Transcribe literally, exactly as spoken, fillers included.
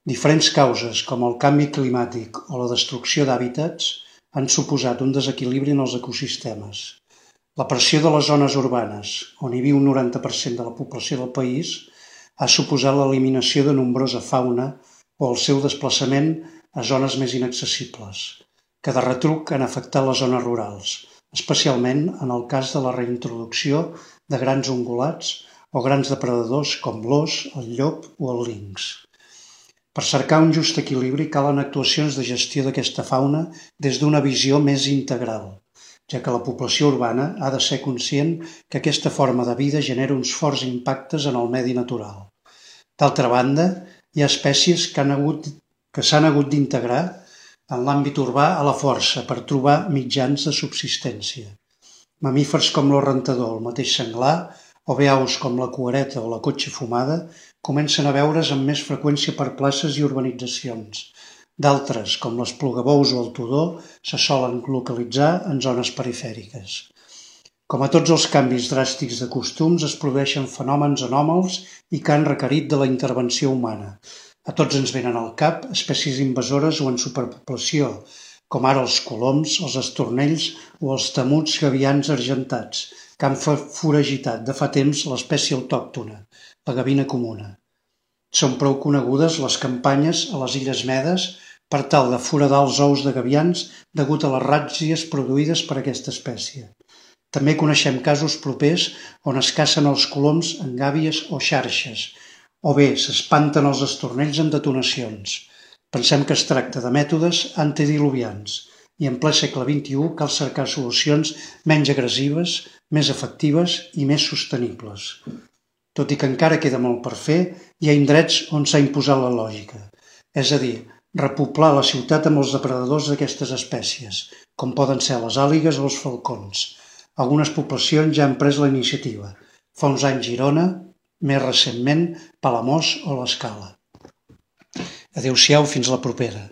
Diferents causes, com el canvi climàtic o la destrucció d'hàbitats, han suposat un desequilibri en els ecosistemes. La pressió de les zones urbanes, on hi viu un noranta per cent de la població del país, ha suposat l'eliminació de nombrosa fauna o el seu desplaçament a zones més inaccessibles, que de retruc han afectat les zones rurals, especialment en el cas de la reintroducció de grans ungulats o grans depredadors com l'ós, el llop o el linx. Per cercar un just equilibri calen actuacions de gestió d'aquesta fauna des d'una visió més integral, ja que la població urbana ha de ser conscient que aquesta forma de vida genera uns forts impactes en el medi natural. D'altra banda, hi ha espècies que han hagut, que s'han hagut d'integrar en l'àmbit urbà a la força per trobar mitjans de subsistència. Mamífers com l'ós rentador, el mateix senglar, o bé aus com la cuereta o la cotxa fumada, comencen a veure's amb més freqüència per places i urbanitzacions. D'altres, com l'esplugabous o el tudó, se solen localitzar en zones perifèriques. Com a tots els canvis dràstics de costums, es produeixen fenòmens anòmals i que han requerit de la intervenció humana. A tots ens venen al cap espècies invasores o en superpoblació, com ara els coloms, els estornells o els temuts gavians argentats, que han foragitat de fa temps l'espècie autòctona, la gavina comuna. Són prou conegudes les campanyes a les Illes Medes per tal de foradar els ous de gavians degut a les ràtzies produïdes per aquesta espècie. També coneixem casos propers on es cacen els coloms en gàbies o xarxes, o bé s'espanten els estornells amb detonacions. Pensem que es tracta de mètodes antediluvians i en ple segle vint-i-u cal cercar solucions menys agressives, més efectives i més sostenibles. Tot i que encara queda molt per fer, hi ha indrets on s'ha imposat la lògica, és a dir, repoblar la ciutat amb els depredadors d'aquestes espècies, com poden ser les àligues o els falcons. Algunes poblacions ja han pres la iniciativa. Fa uns anys Girona, més recentment Palamós o l'Escala. Adéu-siau, fins la propera.